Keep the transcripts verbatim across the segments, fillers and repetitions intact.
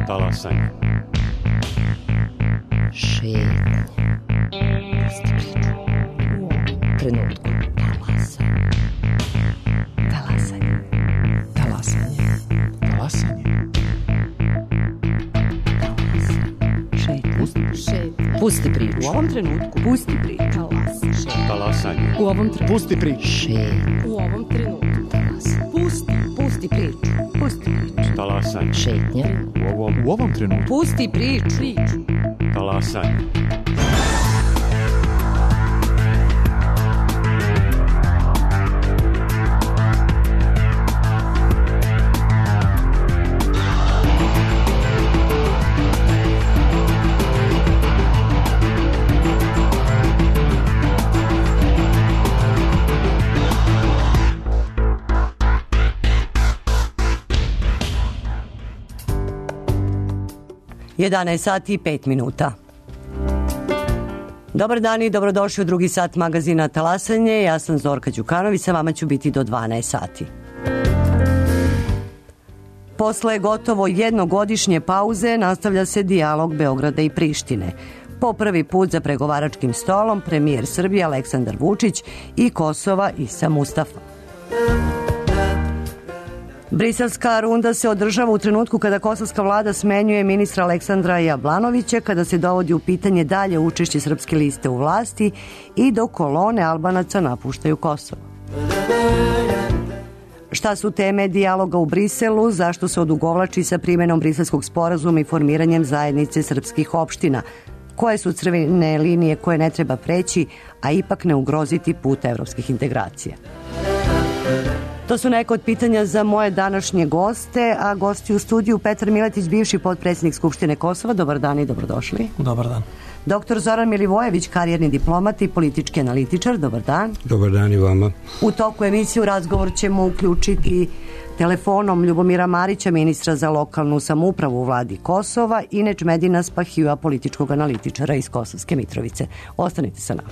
Talasanje. Šetnje. Pusti priču. U ovom trenutku. Talasanje. Talasanje. Talasanje. Talasanje. Šetnje. Šetnje. Pusti priču. U ovom trenutku. Pusti priču. Talasanje. Talasanje. U ovom trenutku. Pusti priču. Šetnje. U ovom trenutku. Talasanje. Pusti. Pusti priču. Pusti priču. Talasanje. Šetnje. U ovom, u ovom trenutku. Pusti priču. Priču. Talasanje. jedanaest sati i pet minuta. Dobar dan i dobrodošli u drugi sat magazina Talasanje. Ja sam Zorka Đukanović, sa vama ću biti do dvanaest sati. Posle gotovo jednogodišnje pauze nastavlja se dijalog Beograda i Prištine. Po prvi put za pregovaračkim stolom premijer Srbije Aleksandar Vučić i Kosova Isa Mustafa. Briselska runda se održava u trenutku kada kosovska vlada smenjuje ministra Aleksandra Jablanovića, kada se dovodi u pitanje dalje učešće srpske liste u vlasti i dok kolone Albanaca napuštaju Kosovo. Šta su teme dijaloga u Briselu, zašto se odugovlači sa primjenom briselskog sporazuma i formiranjem zajednice srpskih opština, koje su crvene linije koje ne treba preći, a ipak ne ugroziti put evropskih integracija. To su neka od pitanja za moje današnje goste, a gosti u studiju Petar Miletić, bivši potpredsjednik Skupštine Kosova. Dobar dan i dobrodošli. Dobar dan. Doktor Zoran Milivojević, karijerni diplomat i politički analitičar. Dobar dan. Dobar dan i vama. U toku emisije u razgovor ćemo uključiti telefonom Ljubomira Marića, ministra za lokalnu samoupravu u vladi Kosova, i Nečmedina Spahijua, političkog analitičara iz Kosovske Mitrovice. Ostanite sa nama.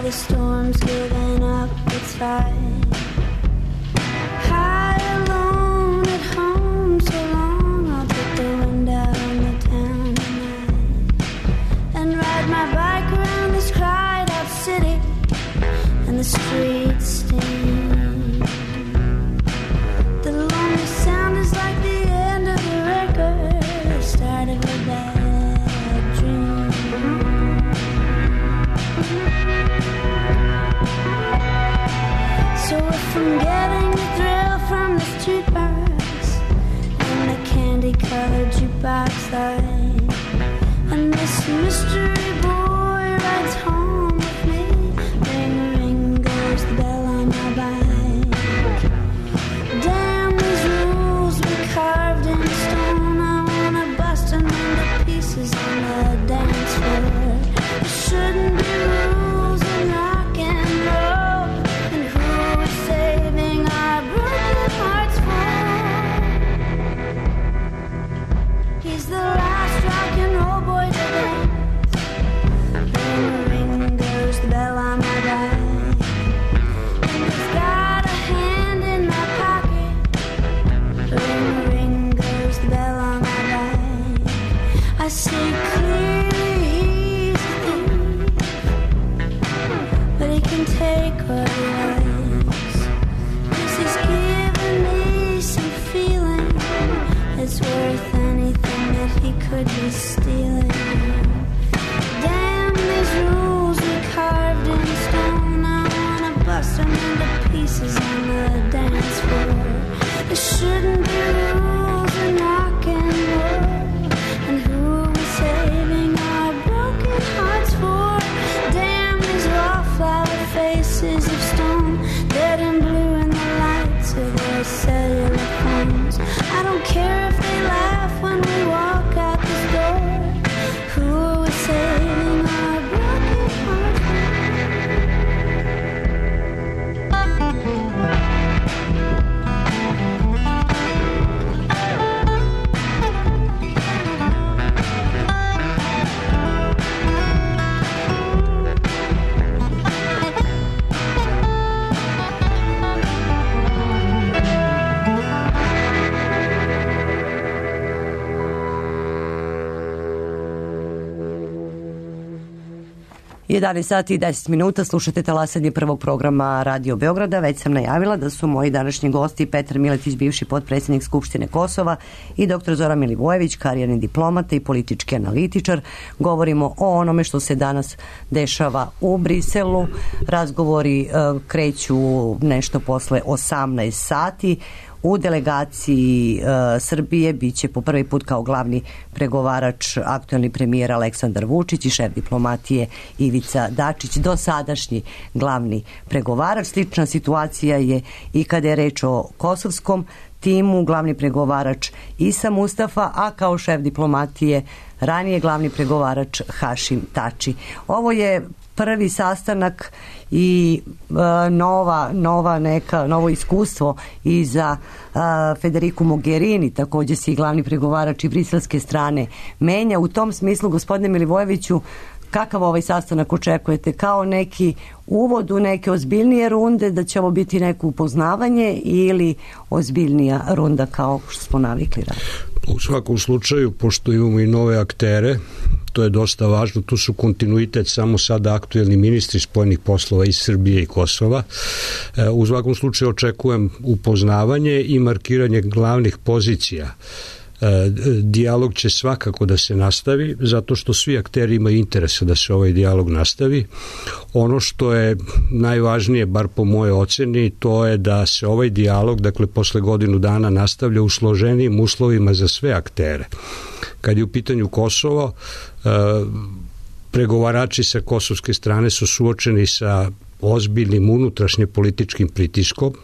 The storm's given up its fight. High alone at home so long, I'll put the wind out on the town tonight and ride my bike around this cried out city and the streets steam. The lonely sound is like the end of the record, the start of a bad dream. So if I'm getting the thrill from this jukebox and the candy-colored jukebox light, and this mystery boy rides home with me, ring, ring goes the bell on my bike. Damn these rules we carved in stone, I wanna bust them into pieces on the dance floor. There shouldn't be rules in rock and roll, and who is saving our broken hearts for? He's the last rock and roll boy to dance. Ring, ring goes the bell on my bike, and he's got a hand in my pocket. Ring, ring goes the bell on my bike. I see clearly he's a thief, but he can take what he likes, 'cause he's given me some feeling it's worth anything that he could be stealing. Damn these rules we carved in stone, I wanna bust them into pieces on the dance floor. There shouldn't be rules in rock and roll, and who are we saving our broken hearts for? Damn these wallflower faces of stone, dead and blue in the lights of their cellular phones. I don't care if they laugh when we walk out this door. Who jedanaest sati i deset minuta, slušate talasanje prvog programa Radio Beograda. Već sam najavila da su moji današnji gosti Petar Miletić, bivši potpredsjednik Skupštine Kosova, i doktor Zoran Milivojević, karijerni diplomata i politički analitičar. Govorimo o onome što se danas dešava u Briselu. Razgovori e, kreću nešto posle osamnaest sati. U delegaciji e, Srbije biće po prvi put kao glavni pregovarač aktuelni premijer Aleksandar Vučić i šef diplomatije Ivica Dačić, dosadašnji glavni pregovarač. Slična situacija je i kada je reč o kosovskom timu, glavni pregovarač Isa Mustafa, a kao šef diplomatije ranije glavni pregovarač Hašim Tači. Ovo je prvi sastanak i e, nova, nova neka, novo iskustvo i za e, Federiku Mogherini, također se i glavni pregovarač i briselske strane menja. U tom smislu, gospodine Milivojeviću, kakav ovaj sastanak očekujete? Kao neki uvod u neke ozbiljnije runde, da će ovo biti neko upoznavanje, ili ozbiljnija runda kao što smo navikli raditi? U svakom slučaju, pošto imamo i nove aktere, to je dosta važno, tu su kontinuitet samo sada aktuelni ministri spoljnih poslova iz Srbije i Kosova. U svakom slučaju očekujem upoznavanje i markiranje glavnih pozicija. Dijalog će svakako da se nastavi, zato što svi akteri imaju interesa da se ovaj dijalog nastavi. Ono što je najvažnije, bar po moje oceni, to je da se ovaj dijalog, dakle posle godinu dana, nastavlja u složenijim uslovima za sve aktere. Kad je u pitanju Kosovo, pregovarači sa kosovske strane su suočeni sa ozbiljnim unutrašnje političkim pritiskom,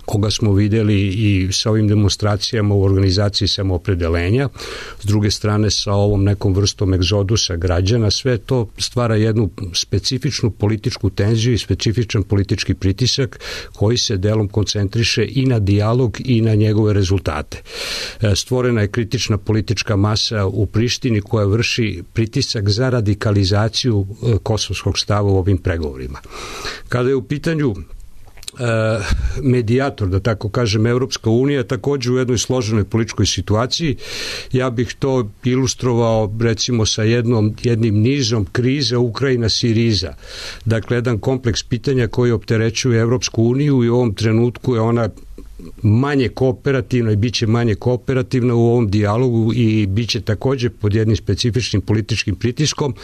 koga smo videli i sa ovim demonstracijama u organizaciji samoopredelenja, s druge strane sa ovom nekom vrstom egzodusa građana. Sve to stvara jednu specifičnu političku tenziju i specifičan politički pritisak koji se delom koncentriše i na dijalog i na njegove rezultate. Stvorena je kritična politička masa u Prištini koja vrši pritisak za radikalizaciju kosovskog stava u ovim pregovorima. Kada je u pitanju medijator, da tako kažem, Evropska unija, također u jednoj složenoj političkoj situaciji. Ja bih to ilustrovao recimo sa jednom, jednim nizom kriza Ukrajina-Siriza. Dakle, jedan kompleks pitanja koji opterećuje Evropsku uniju i u ovom trenutku je ona manje kooperativna i bit će manje kooperativna u ovom dijalogu i bit će također pod jednim specifičnim političkim pritiskom,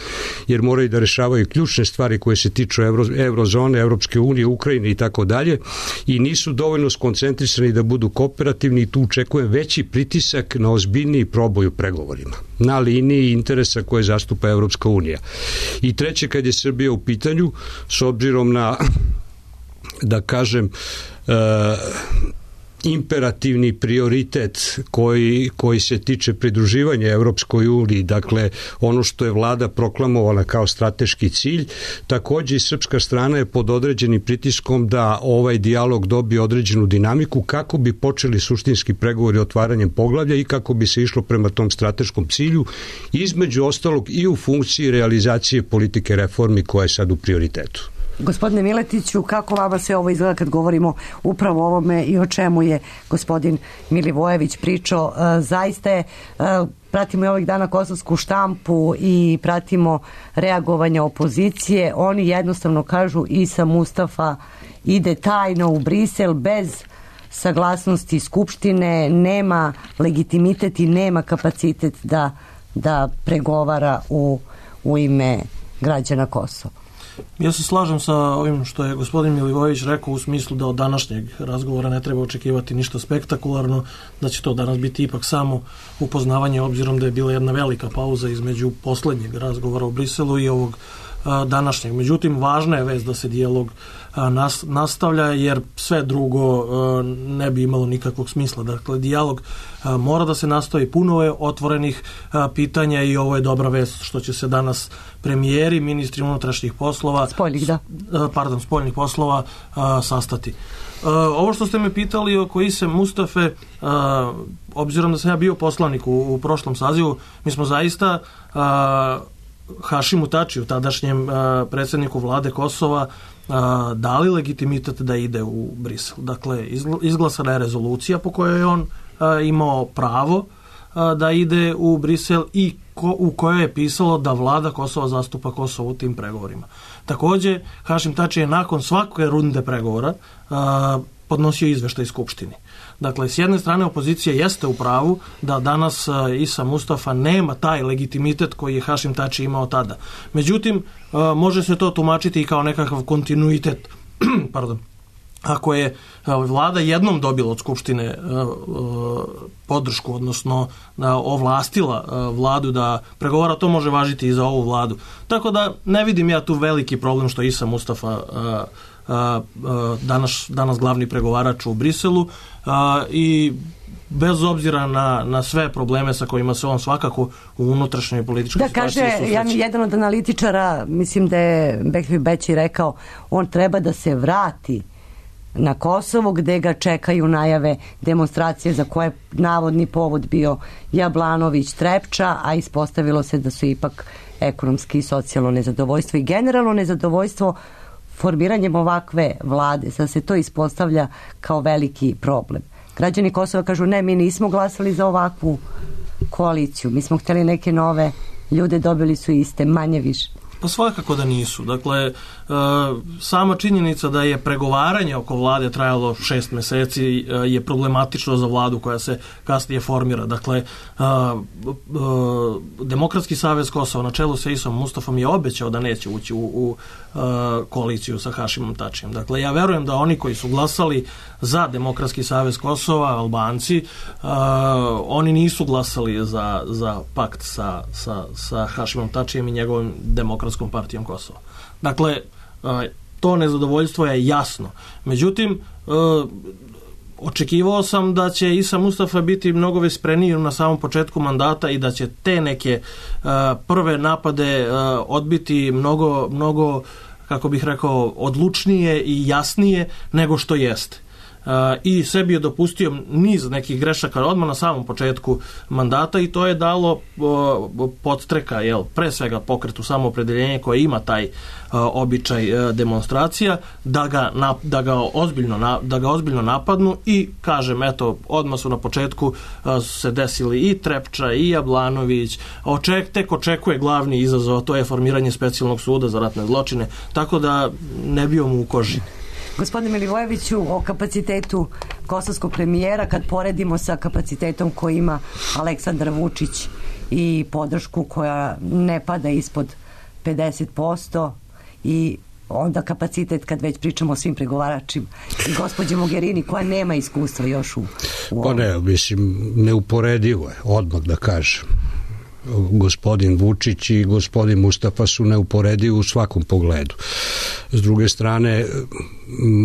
jer moraju da rešavaju ključne stvari koje se tiču Euro, Eurozone, Evropske unije, Ukrajine i tako dalje, i nisu dovoljno skoncentrisani da budu kooperativni, i tu očekujem veći pritisak na ozbiljniji proboj u pregovorima na liniji interesa koje zastupa Evropska unija. I treće, kad je Srbija u pitanju, s obzirom na, da kažem, uh, imperativni prioritet koji, koji se tiče pridruživanja Evropskoj uniji, dakle ono što je vlada proklamovala kao strateški cilj, također i srpska strana je pod određenim pritiskom da ovaj dijalog dobije određenu dinamiku kako bi počeli suštinski pregovori otvaranjem poglavlja i kako bi se išlo prema tom strateškom cilju, između ostalog i u funkciji realizacije politike reformi koja je sad u prioritetu. Gospodine Miletiću, kako vama se ovo izgleda kad govorimo upravo o ovome i o čemu je gospodin Milivojević pričao? E, zaista je, e, pratimo i ovih dana kosovsku štampu i pratimo reagovanja opozicije. Oni jednostavno kažu Isa Mustafa ide tajno u Brisel bez saglasnosti Skupštine, nema legitimitet i nema kapacitet da, da pregovara u, u ime građana Kosova. Ja se slažem sa ovim što je gospodin Milivojević rekao, u smislu da od današnjeg razgovora ne treba očekivati ništa spektakularno, da će to danas biti ipak samo upoznavanje, obzirom da je bila jedna velika pauza između poslednjeg razgovora u Briselu i ovog a, današnjeg. Međutim, važna je vest da se dijalog a, nas, nastavlja, jer sve drugo a, ne bi imalo nikakvog smisla. Dakle, dijalog a, mora da se nastavi, puno je otvorenih a, pitanja i ovo je dobra vest što će se danas premijeri, ministri unutrašnjih poslova, spoljnih, da. Pardon, spoljnih poslova a, sastati. A, ovo što ste me pitali oko Ise Mustafe, a, obzirom da sam ja bio poslanik u, u prošlom sazivu, mi smo zaista a, Hašimu Tačiju, tadašnjem a, predsjedniku vlade Kosova, a, dali legitimitet da ide u Brisel. Dakle, izglasana je rezolucija po kojoj je on a, imao pravo da ide u Brisel i ko, u kojoj je pisalo da vlada Kosova zastupa Kosovo u tim pregovorima. Takođe, Hašim Tači je nakon svake runde pregovora a, podnosio izveštaj Skupštini. Dakle, s jedne strane opozicija jeste u pravu da danas a, Isa Mustafa nema taj legitimitet koji je Hašim Tači imao tada. Međutim, a, može se to tumačiti i kao nekakav kontinuitet pardon, ako je vlada jednom dobila od Skupštine podršku, odnosno ovlastila vladu da pregovara, to može važiti i za ovu vladu. Tako da ne vidim ja tu veliki problem što Isa Mustafa danas, danas glavni pregovarač u Briselu i bez obzira na, na sve probleme sa kojima se on svakako u unutrašnjoj političkoj da, situaciji kaže, susreće. Ja, jedan od analitičara, mislim da je Bekvi Beći rekao, on treba da se vrati na Kosovo gde ga čekaju najave demonstracije za koje navodni povod bio Jablanović, Trepča, a ispostavilo se da su ipak ekonomski i socijalno nezadovoljstvo i generalno nezadovoljstvo formiranjem ovakve vlade, da se to ispostavlja kao veliki problem. Građani Kosova kažu ne, mi nismo glasali za ovakvu koaliciju, mi smo hteli neke nove ljude, dobili su iste, manje više. Pa svakako da nisu. Dakle, e, sama činjenica da je pregovaranje oko vlade trajalo šest meseci e, je problematično za vladu koja se kasnije formira. Dakle, e, e, Demokratski savez Kosova na čelu sa Isom Mustafom je obećao da neće ući u, u e, koaliciju sa Hašimom Tačijem. Dakle, ja verujem da oni koji su glasali za Demokratski savez Kosova, Albanci, e, oni nisu glasali za, za pakt sa, sa, sa Hašimom Tačijem i njegovim Demokratskom partijom Kosova. Dakle, to nezadovoljstvo je jasno. Međutim, očekivao sam da će Isa Mustafa biti mnogo vispreniji na samom početku mandata i da će te neke prve napade odbiti mnogo, mnogo, kako bih rekao, odlučnije i jasnije nego što jeste. Uh, i sebi je dopustio niz nekih grešaka odmah na samom početku mandata i to je dalo uh, podstreka, jel, pre svega pokretu samoopredeljenja koje ima taj uh, običaj uh, demonstracija, da ga, na, da, ga ozbiljno na, da ga ozbiljno napadnu i kažem, eto, odmah su na početku uh, se desili i Trepča i Jablanović, oček, tek očekuje glavni izazov, to je formiranje specijalnog suda za ratne zločine, tako da ne bio mu u koži. Gospodine Milivojeviću, o kapacitetu kosovskog premijera, kad poredimo sa kapacitetom koji ima Aleksandar Vučić i podršku koja ne pada ispod pedeset posto i onda kapacitet kad već pričamo o svim pregovaračima i gospođe Mogherini koja nema iskustva još u, u Pa ne, mislim, neuporedivo je, odmah da kažem. Gospodin Vučić i gospodin Mustafa su neuporedivi u svakom pogledu. S druge strane,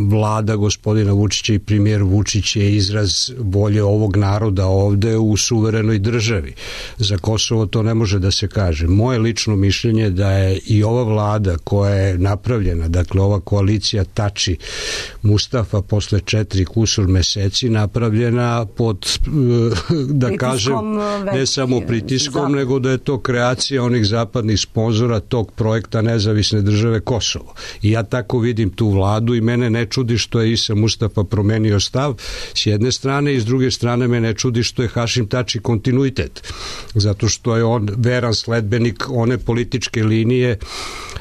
vlada gospodina Vučića i premijer Vučić je izraz volje ovog naroda ovde u suverenoj državi. Za Kosovo to ne može da se kaže. Moje lično mišljenje je da je i ova vlada koja je napravljena, dakle ova koalicija Tači Mustafa posle četiri kusur meseci napravljena pod, da pritiskom kažem, ne samo pritiskom, zapad. nego da je to kreacija onih zapadnih sponzora tog projekta Nezavisne države Kosovo. I ja tako vidim tu vladu i mene ne čudi što je Isa Mustafa promenio stav s jedne strane i s druge strane me ne čudi što je Hašim Tači kontinuitet. Zato što je on veran sledbenik one političke linije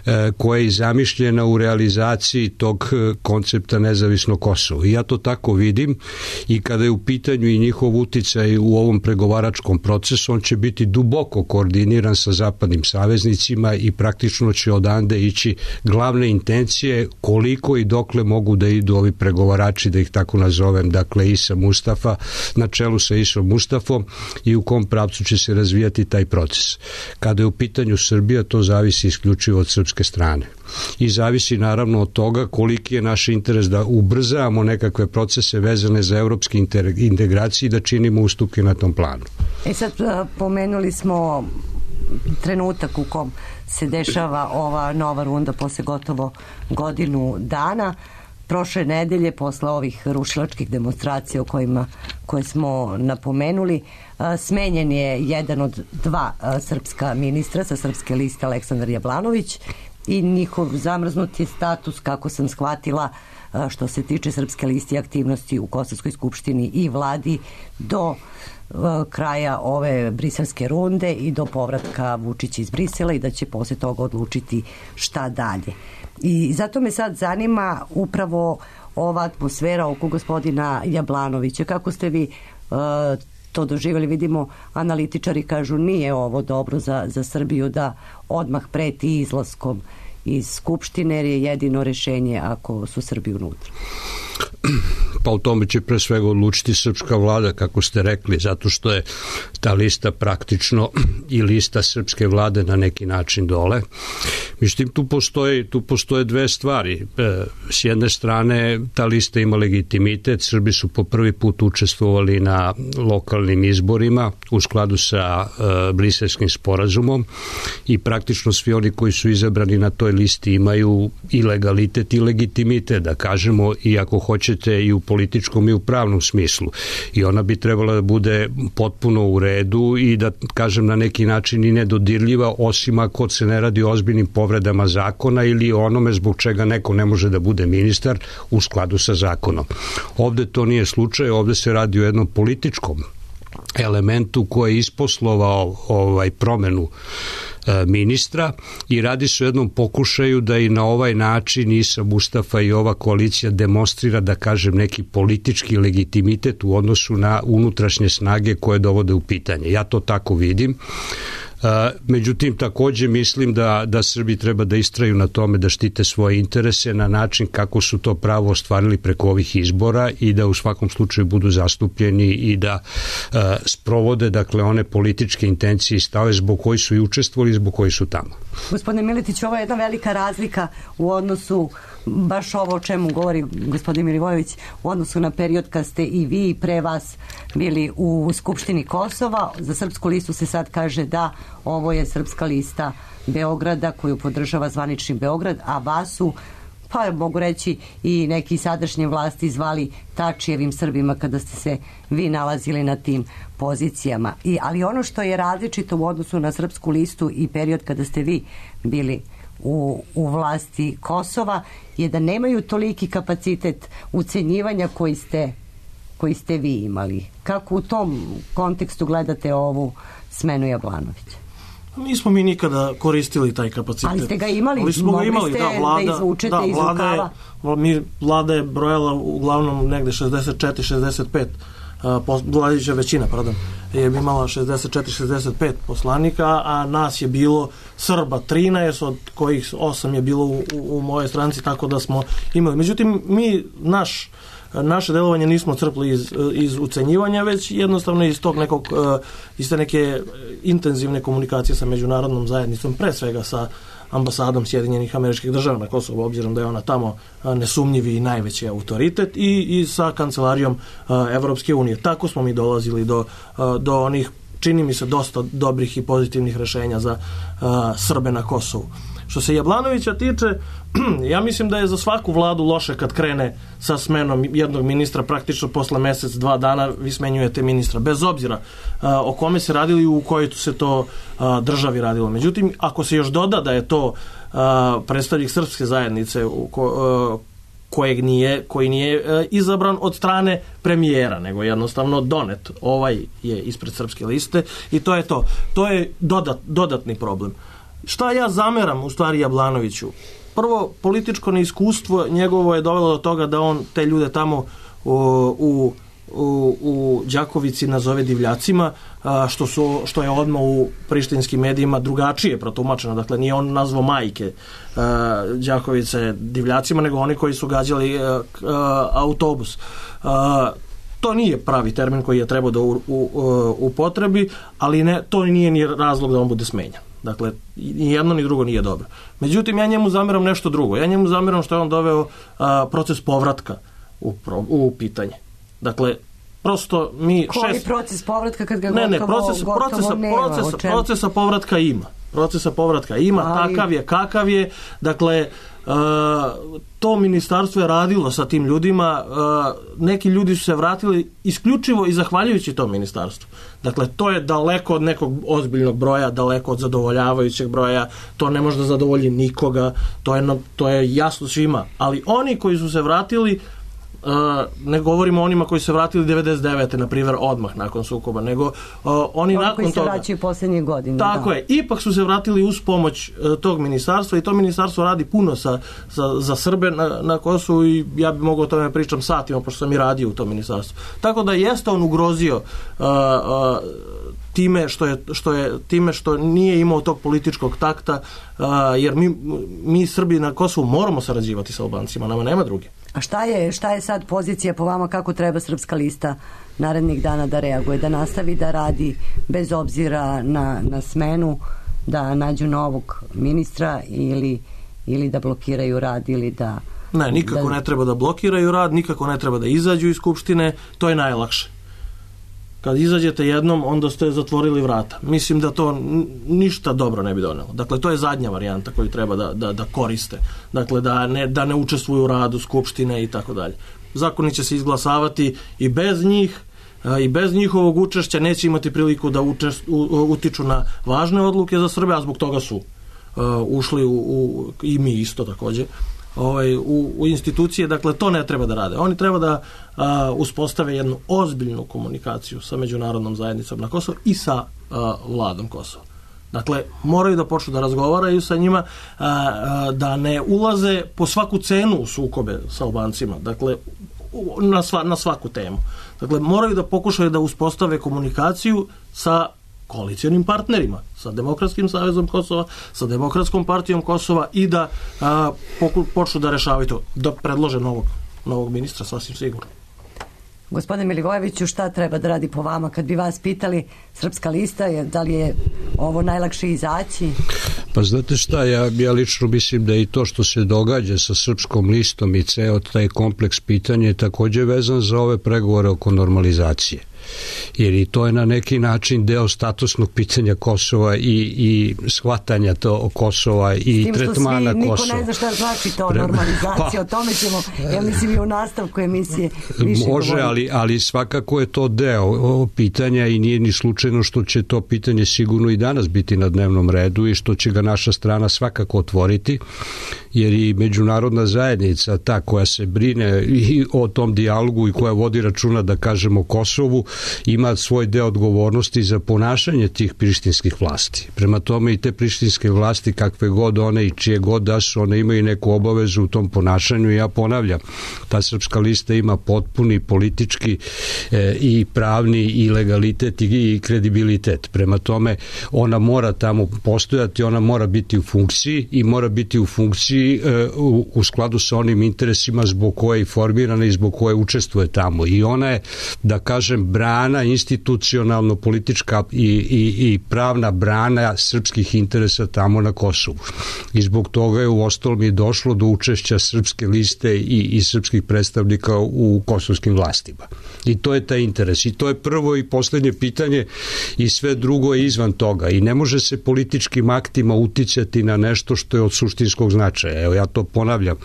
e, koja je zamišljena u realizaciji tog koncepta nezavisnog Kosova. I ja to tako vidim i kada je u pitanju i njihov uticaj u ovom pregovaračkom procesu, on će biti duboko koordiniran sa zapadnim saveznicima i praktično će odande ići glavne intencije koliko i dokle mogu da idu ovi pregovarači, da ih tako nazovem, dakle Isa Mustafa na čelu sa Isom Mustafom i u kom pravcu će se razvijati taj proces. Kada je u pitanju Srbija, to zavisi isključivo od srpske strane. I zavisi naravno od toga koliki je naš interes da ubrzavamo nekakve procese vezane za evropske integracije i da činimo ustupke na tom planu. E sad, pomenuli smo trenutak u kom se dešava ova nova runda posle gotovo godinu dana. Prošle nedelje, posle ovih rušilačkih demonstracija o kojima koje smo napomenuli, smenjen je jedan od dva srpska ministra sa srpske liste, Aleksandar Jablanović, i njihov zamrznuti status, kako sam shvatila, što se tiče Srpske liste aktivnosti u Kosovskoj skupštini i vladi do kraja ove briselske runde i do povratka Vučića iz Brisela i da će posle toga odlučiti šta dalje. I zato me sad zanima upravo ova atmosfera oko gospodina Jablanovića. Kako ste vi uh, to doživjeli? Vidimo, analitičari kažu nije ovo dobro za, za Srbiju da odmah preti izlaskom iz Skupštine, jer je jedino rešenje ako su Srbi unutra. Pa u tome će pre svega odlučiti srpska vlada, kako ste rekli, zato što je ta lista praktično i lista srpske vlade na neki način dole. Međutim, tu postoje, tu postoje dve stvari. S jedne strane, ta lista ima legitimitet, Srbi su po prvi put učestvovali na lokalnim izborima u skladu sa uh, Briselskim sporazumom i praktično svi oni koji su izabrani na toj listi imaju i legalitet i legitimitet, da kažemo, i ako hoćete i u političkom i u pravnom smislu. I ona bi trebala da bude potpuno u redu i da, kažem, na neki način i nedodirljiva, osim ako se ne radi o ozbiljnim povredama zakona ili onome zbog čega neko ne može da bude ministar u skladu sa zakonom. Ovde to nije slučaj, ovde se radi o jednom političkom elementu koji je isposlovao ovaj promenu ministra i radi se o jednom pokušaju da i na ovaj način Isa Mustafa i ova koalicija demonstrira, da kažem, neki politički legitimitet u odnosu na unutrašnje snage koje dovode u pitanje. Ja to tako vidim. Međutim, takođe mislim da, da Srbi treba da istraju na tome da štite svoje interese na način kako su to pravo ostvarili preko ovih izbora i da u svakom slučaju budu zastupljeni i da uh, sprovode, dakle, one političke intencije i stave zbog koji su i učestvovali i zbog koji su tamo. Gospodine Miletić, ovo je jedna velika razlika u odnosu, baš ovo o čemu govori gospodin Milivojević, u odnosu na period kad ste i vi pre vas bili u Skupštini Kosova. Za Srpsku listu se sad kaže da ovo je Srpska lista Beograda koju podržava zvanični Beograd, a vas su, pa mogu reći, i neki sadašnje vlasti zvali Tačijevim Srbima kada ste se vi nalazili na tim pozicijama. I, ali ono što je različito u odnosu na Srpsku listu i period kada ste vi bili u, u vlasti Kosova je da nemaju toliki kapacitet ucenjivanja koji ste, koji ste vi imali. Kako u tom kontekstu gledate ovu smenu Jablanovića? Nismo mi nikada koristili taj kapacitet. Ali ste ga imali, ali smo ga imali, da, vlada, da izvučete da, iz rukava. Mi, vlada je brojala uglavnom negde šezdeset četiri šezdeset pet, uh, vladajuća većina, pardon, je imala šezdeset četiri šezdeset pet poslanika, a nas je bilo Srba trinaest, od kojih osam je bilo u, u, u mojoj stranci, tako da smo imali. Međutim, mi, naš naše delovanje nismo crpli iz, iz ucenjivanja, već jednostavno iz tog nekog, iz te neke intenzivne komunikacije sa međunarodnom zajednicom, pre svega sa ambasadom Sjedinjenih Američkih Država na Kosovu, obzirom da je ona tamo nesumnjivi i najveći autoritet, i, i sa kancelarijom Evropske unije. Tako smo mi dolazili do, do onih, čini mi se, dosta dobrih i pozitivnih rešenja za Srbe na Kosovu. Što se Jablanovića tiče, ja mislim da je za svaku vladu loše kad krene sa smenom jednog ministra, praktično posle mesec, dva dana vi smenjujete ministra, bez obzira uh, o kome se radili i u kojoj se to uh, državi radilo. Međutim, ako se još doda da je to uh, predstavnik srpske zajednice u ko, uh, kojeg nije, koji nije uh, izabran od strane premijera, nego jednostavno donet, ovaj je ispred Srpske liste i to je to. To je dodat, dodatni problem. Šta ja zameram u stvari Jablanoviću? Prvo, političko neiskustvo njegovo je dovelo do toga da on te ljude tamo u, u, u, u Đakovici nazove divljacima, a, što, su, što je odmah u prištinskim medijima drugačije protumačeno. Dakle, nije on nazvao majke a, Đakovice divljacima, nego oni koji su gađali a, a, autobus. A, To nije pravi termin koji je trebao da u, u, u, upotrebi, ali ne, to nije ni razlog da on bude smenjan. Dakle, ni jedno ni drugo nije dobro. Međutim, ja njemu zameram nešto drugo. Ja njemu zameram što je on doveo a, proces povratka u, u pitanje. Dakle, prosto mi... Koji šest... proces povratka kad ga ne, ne, gotovo, proces, gotovo procesa, nema? Procesa, procesa povratka ima. Procesa povratka ima, ali... takav je, kakav je. Dakle, to ministarstvo je radilo sa tim ljudima, neki ljudi su se vratili isključivo i zahvaljujući tom ministarstvu. Dakle, to je daleko od nekog ozbiljnog broja, daleko od zadovoljavajućeg broja, to ne može da zadovolji nikoga, to je, to je jasno svima. Ali oni koji su se vratili, ne govorimo o onima koji se vratili devedeset devete na primjer odmah nakon sukoba, nego uh, oni Oni nakon koji se toga vraćaju posljednje godine. tako da. je, ipak su se vratili uz pomoć uh, tog ministarstva i to ministarstvo radi puno sa, sa, za Srbe na, na Kosovu i ja bi mogao o tome pričam satima pošto sam i radio u tom ministarstvu. Tako da jeste on ugrozio uh, uh, time što je, što je time što nije imao tog političkog takta, uh, jer mi, mi Srbi na Kosovu moramo sarađivati sa Albancima, nama nema druge. A šta je, šta je sad pozicija po vama, kako treba Srpska lista narednih dana da reaguje, da nastavi da radi bez obzira na, na smenu, da nađu novog ministra ili, ili da blokiraju rad ili da... Ne, nikako da... ne treba da blokiraju rad, nikako ne treba da izađu iz Skupštine, to je najlakše. Kad izađete jednom, onda ste zatvorili vrata. Mislim da to ništa dobro ne bi donelo. Dakle, to je zadnja varijanta koju treba da, da, da koriste. Dakle, da ne, da ne učestvuju u radu Skupštine i tako dalje. Zakoni će se izglasavati i bez njih, i bez njihovog učešća neće imati priliku da učest, u, utiču na važne odluke za Srbe, a zbog toga su uh, ušli u, u, i mi isto također, ovaj, u, u institucije. Dakle, to ne treba da rade. Oni treba da a, uspostave jednu ozbiljnu komunikaciju sa međunarodnom zajednicom na Kosovu i sa a, vladom Kosova. Dakle, moraju da počnu da razgovaraju sa njima, a, a, da ne ulaze po svaku cenu u sukobe sa Albancima. Dakle, na, sva, na svaku temu. Dakle, moraju da pokušaju da uspostave komunikaciju sa koalicijonim partnerima, sa Demokratskim savezom Kosova, sa Demokratskom partijom Kosova i da a, poku, počnu da rešavaju to, da predlože novog, novog ministra, sasvim sigurno. Gospodine Milivojeviću, šta treba da radi po vama? Kad bi vas pitali Srpska lista, je, da li je ovo najlakše izaći? Pa znate šta, ja, ja lično mislim da i to što se događa sa Srpskom listom i ceo taj kompleks pitanja je također vezan za ove pregovore oko normalizacije. Jer i to je na neki način deo statusnog pitanja Kosova i, i shvatanja to Kosova i tretmana svi, Kosova. Niko ne zna šta znači to normalizacija, pa, o tome ćemo, ja mislim i u nastavku emisije više može, govoriti. ali, ali svakako je to deo pitanja i nije ni slučajno što će to pitanje sigurno i danas biti na dnevnom redu i što će ga naša strana svakako otvoriti, jer i međunarodna zajednica, ta koja se brine i o tom dijalogu i koja vodi računa, da kažemo, Kosovu, ima svoj deo odgovornosti za ponašanje tih prištinskih vlasti. Prema tome i te prištinske vlasti, kakve god one i čije god da su, one imaju neku obavezu u tom ponašanju i ja ponavljam, ta Srpska lista ima potpuni politički e, i pravni i legalitet i, i kredibilitet. Prema tome ona mora tamo postojati, ona mora biti u funkciji i mora biti u funkciji e, u, u skladu sa onim interesima zbog koje je formirana i zbog koje učestvuje tamo. I ona je, da kažem, brana, institucionalno politička i, i, i pravna brana srpskih interesa tamo na Kosovu. I zbog toga je u ostalom i došlo do učešća Srpske liste i, i srpskih predstavnika u kosovskim vlastima. I to je taj interes. I to je prvo i poslednje pitanje i sve drugo je izvan toga. I ne može se političkim aktima uticati na nešto što je od suštinskog značaja. Evo ja to ponavljam.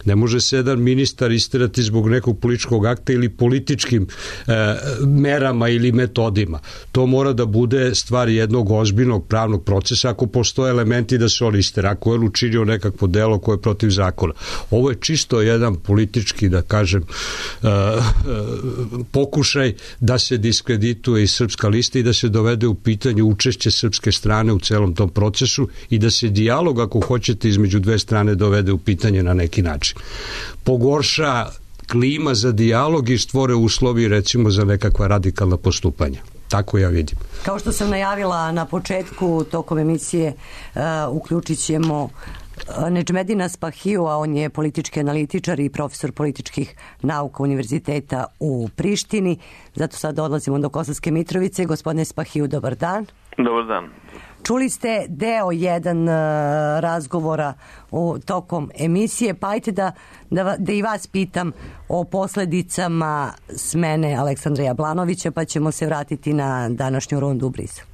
Ne može se jedan ministar isterati zbog nekog političkog akta ili političkim e, merama ili metodima. To mora da bude stvar jednog ozbiljnog pravnog procesa ako postoje elementi da se on istera, ako je učinio nekakvo delo koje je protiv zakona. Ovo je čisto jedan politički, da kažem, uh, uh, pokušaj da se diskredituje i Srpska lista i da se dovede u pitanje učešće srpske strane u celom tom procesu i da se dijalog, ako hoćete, između dve strane dovede u pitanje na neki način. Pogorša klima za dijalog i stvore uslovi, recimo, za nekakva radikalna postupanja. Tako ja vidim. Kao što sam najavila na početku tokom emisije, uh, uključit ćemo Nedžmedina Spahiju, a on je politički analitičar i profesor političkih nauka Univerziteta u Prištini. Zato sad odlazimo do Kosovske Mitrovice. Gospodine Spahiju, dobar dan. Dobar dan. Čuli ste deo jedan uh, razgovora u, tokom emisije, pa ajte da, da, da i vas pitam o posledicama smene Aleksandra Jablanovića, pa ćemo se vratiti na današnju rundu u Briselu.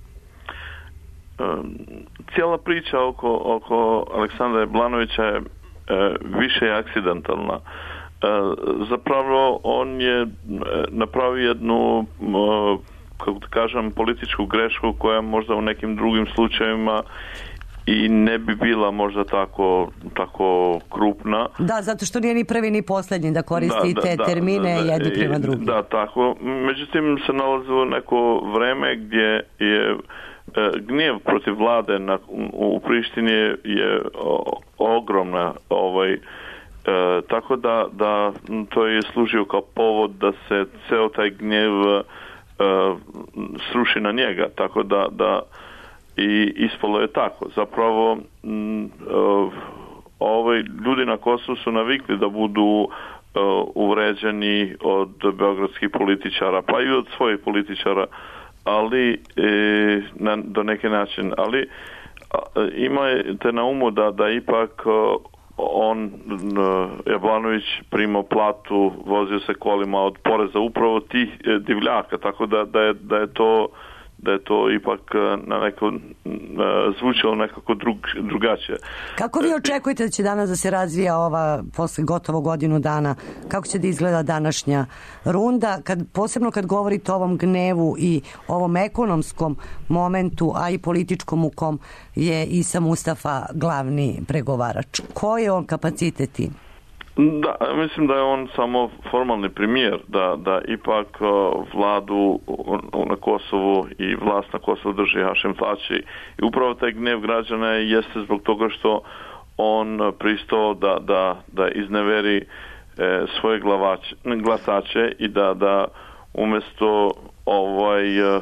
Cijela priča oko, oko Aleksandra Jablanovića je više je akcidentalna. Zapravo on je napravio jednu, kako da kažem, političku grešku koja možda u nekim drugim slučajevima i ne bi bila možda tako, tako krupna. Da, zato što nije ni prvi ni posljednji da koristi da, te da, termine da, da, jedni prema drugim. Da, tako. Međutim, se nalazilo neko vreme gdje je gnjev protiv vlade na, u Prištini je, je ogromna. Ovaj, e, tako da, da to je služio kao povod da se ceo taj gnjev e, sruši na njega. Tako da, da i ispalo je tako. Zapravo m, e, ovaj, ljudi na Kosovu su navikli da budu e, uvređeni od beogradskih političara, pa i od svojih političara, ali e, na, do neke način. Ali a, imajte na umu da, da ipak on, Jablanović, primao platu, vozio se kolima od poreza upravo tih divljaka, tako da, da, je, da je to da je to ipak na neko zvučalo nekako drug, drugačije. Kako vi očekujete da će danas da se razvija ova posle gotovo godinu dana? Kako će da izgleda današnja runda? Kad, posebno kad govorite o ovom gnevu i ovom ekonomskom momentu, a i političkom u kom je Isa Mustafa glavni pregovarač. Koji je on kapacitet? Da, mislim da je on samo formalni premijer, da, da ipak vladu na Kosovu i vlast na Kosovu drži Hašim Tači. I upravo taj gnev građana jeste zbog toga što on pristao da, da, da izneveri e, svoje glavače, glasače i da, da umjesto ovaj, e,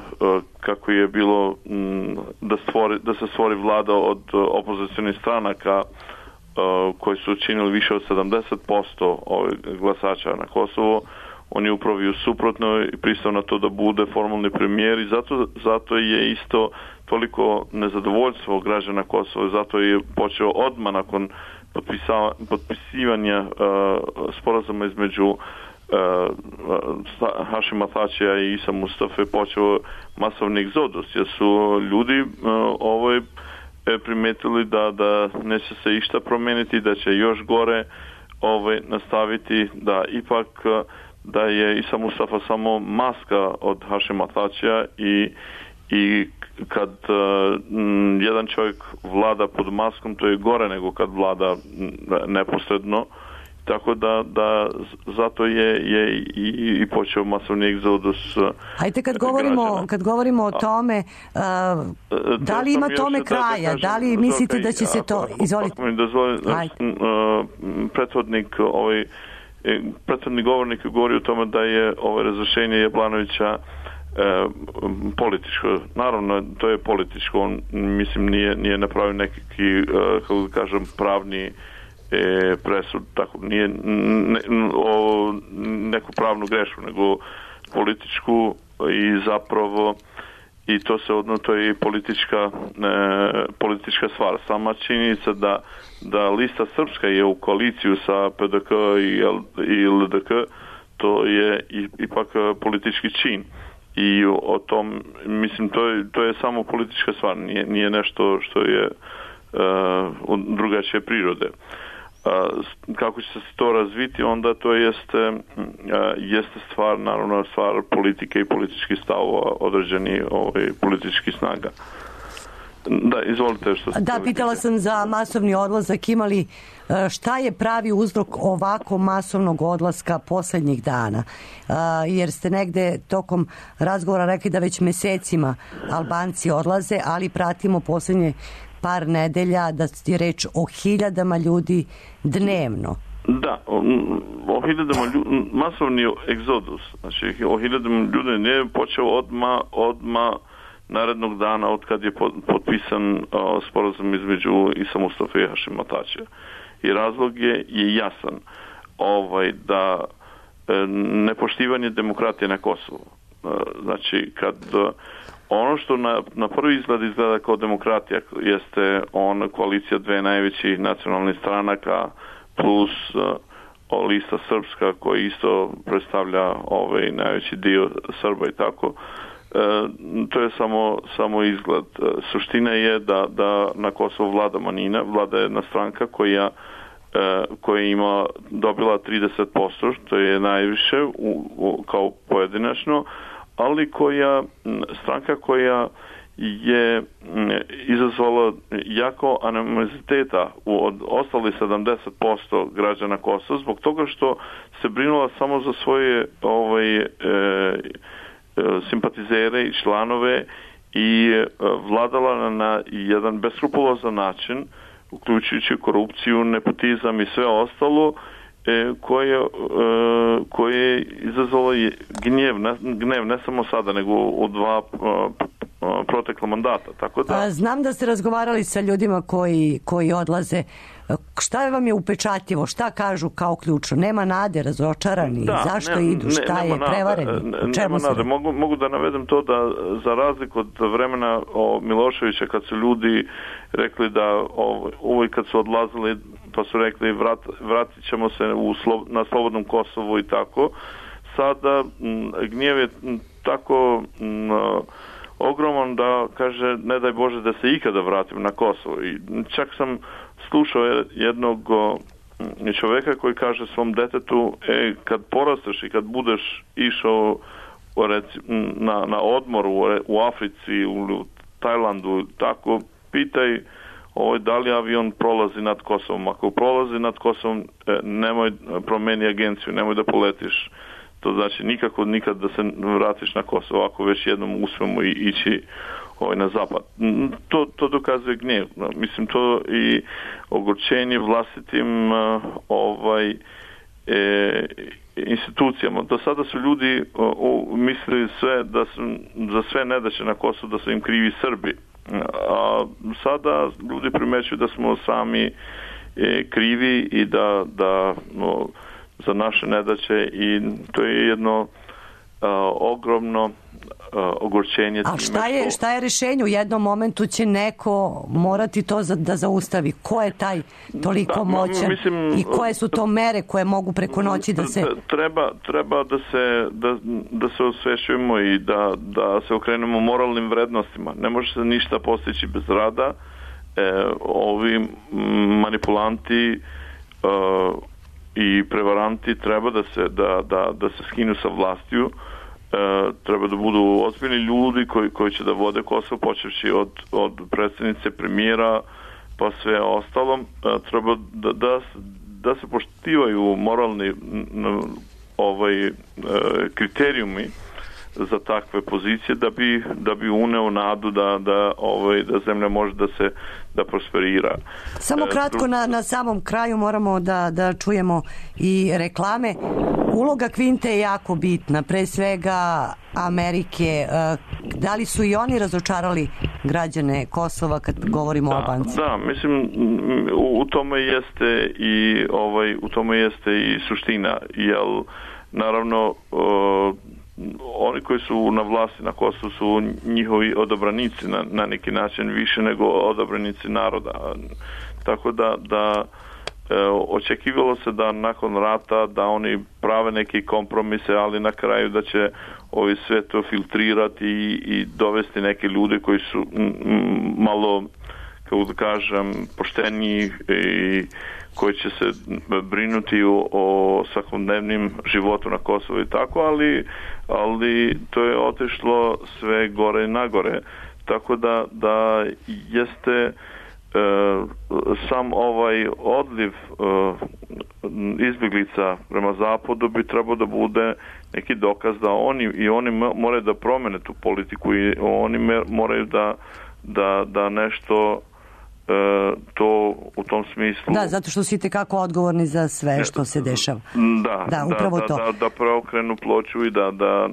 kako je bilo m, da, stvori, da se stvori vlada od opozicionih stranaka koji su učinili više od sedamdeset posto glasača na Kosovo, on je upravo suprotno i pristao na to da bude formalni premijer i zato, zato je isto toliko nezadovoljstvo građana Kosova, zato je počeo odmah nakon potpisivanja uh, sporazuma između uh, Hašima Tačija i Isa Mustafe počeo masovni egzodus, jer su ljudi uh, ovoj primetili da, da neće se išta promijeniti, da će još gore ovaj, nastaviti, da ipak da je Isa Mustafa samo maska od Hašima Tačija i, i kad uh, jedan čovjek vlada pod maskom, to je gore nego kad vlada neposredno. Tako da, da zato je, je i, i počeo masovni egzodus. Ajde, kad govorimo, kad govorimo o tome, uh, da li ima tome kraja? Da, da li mislite da će se to... Izvolite. Prethodnik, ovaj, prethodni govornik je govorio o tome da je ovo razrešenje Jablanovića e, političko. Naravno, to je političko. On, mislim, nije, nije napravio nekakvi, e, kako da kažem, pravni E, presud, tako, nije ne, o neku pravnu grešku, nego političku i zapravo i to se odno, to je i politička, e, politička stvar. Sama činjenica da, da lista Srpska je u koaliciju sa P D K i, i L D K, to je i, ipak politički čin. I o tom, mislim, to je, to je samo politička stvar, nije, nije nešto što je uh, drugačije prirode. Uh, kako će se to razviti, onda to jeste, uh, jeste stvar, naravno, stvar politike i političkih stavova određeni ovaj, političkih snaga. Da, izvolite što ste... Da, pitala sam za masovni odlazak. Imali, šta je pravi uzrok ovako masovnog odlaska posljednjih dana? Jer ste negde tokom razgovora rekli da već mesecima Albanci odlaze, ali pratimo posljednje par nedelja da je reč o hiljadama ljudi dnevno. Da, o, o hiljadama ljudi, masovni egzodus, znači o hiljadama ljudi ne počeo odma, odma narednog dana od kad je potpisan o, sporazum između Isa Mustafa i Hašima Tačija. I razlog je, je jasan, ovaj, da e, nepoštivanje demokratije na Kosovu. E, znači, kad e, ono što na, na prvi izgled izgleda kao demokratija jeste on koalicija dve najvećih nacionalnih stranaka plus uh, lista Srpska koji isto predstavlja ovaj najveći dio Srba i tako. Uh, to je samo, samo izgled. Uh, suština je da, da na Kosovu vlada manjina, vlada jedna stranka koja koja ima dobila trideset posto, što je najviše u, u, kao pojedinačno, ali koja stranka koja je izazvala jako animoziteta od ostalih sedamdeset posto građana Kosova zbog toga što se brinula samo za svoje ovaj, e, simpatizere i članove i vladala na jedan beskrupulozan način, uključujući korupciju, nepotizam i sve ostalo, e, koje, e, koje je izazvalo gnjev, ne, gnjev ne samo sada, nego u dva a, protekla mandata. Tako da... A, znam da ste razgovarali sa ljudima koji, koji odlaze. Šta vam je upečatljivo? Šta kažu kao ključno? Nema nade, razočarani? Da, zašto ne, idu? Šta ne, je? nade, Prevareni? ne, Čemu nema nade. Mogu, mogu da navedem to da za razliku od vremena o Miloševića, kad su ljudi rekli da uvijek kad su odlazili pa su rekli vrat, vratit ćemo se u slo, na slobodnom Kosovu i tako, sada m, gnjev je m, tako m, ogroman da kaže ne daj Bože da se ikada vratim na Kosovo. I čak sam slušao jednog čovjeka koji kaže svom detetu, e, kad porasteš i kad budeš išao reci, na, na odmor u, u Africi, u Tajlandu, tako, pitaj ovo, da li avion prolazi nad Kosovom. Ako prolazi nad Kosovom, nemoj promeni agenciju, nemoj da poletiš. To znači nikako nikad da se vratiš na Kosovo, ako već jednom uspemo i ići ovaj, na zapad. To, to dokazuje gnjev. Mislim, to i ogorčenje vlastitim ovaj, e, institucijama. Do sada su ljudi o, o, mislili sve da su, za sve nedaće na Kosovu da su im krivi Srbi. A sada ljudi primećuju da smo sami e, krivi i da, da no, za naše nedaće i to je jedno a, ogromno a, ogorčenje. A šta je, šta je rješenje? U jednom momentu će neko morati to za, da zaustavi. Ko je taj toliko da, moćan mislim, i koje su to mere koje mogu preko noći da se... Treba, treba da se da, da se osvešćujemo i da, da se okrenemo moralnim vrednostima. Ne može se ništa postići bez rada. E, ovi manipulanti e, i prevaranti treba da se da, da, da se skinu sa vlastiju. E, treba da budu ozbiljni ljudi koji, koji će da vode Kosovo, počevši od, od predsjednice, premijera pa sve ostalom. E, treba da, da, da se poštivaju moralni ovaj, e, kriterijumi za takve pozicije da bi, da bi uneo nadu da, da, ovaj, da zemlja može da se da prosperira. Samo kratko na, na samom kraju moramo da, da čujemo i reklame. Uloga Kvinte je jako bitna, pre svega Amerike. Da li su i oni razočarali građane Kosova kad govorimo da, o Albanci? Da, mislim u, u tome jeste i ovaj u tome jeste i suština, jel naravno uh, oni koji su na vlasti na Kosovu su njihovi odabranici na, na neki način više nego odabranici naroda. Tako da, da e, očekivalo se da nakon rata da oni prave neke kompromise, ali na kraju da će ovi sve to filtrirati i, i dovesti neke ljude koji su m, m, malo, kako da kažem, pošteniji i koji će se brinuti o, o svakodnevnim životu na Kosovu i tako, ali, ali to je otišlo sve gore i nagore. Tako da, da jeste e, sam ovaj odliv e, izbjeglica prema zapadu bi trebao da bude neki dokaz da oni i oni moraju da promene tu politiku i oni moraju da, da, da nešto E, to u tom smislu... Da, zato što su itekako odgovorni za sve što se dešava. Da, da, upravo da, to. Da, da preokrenu ploču i da, da,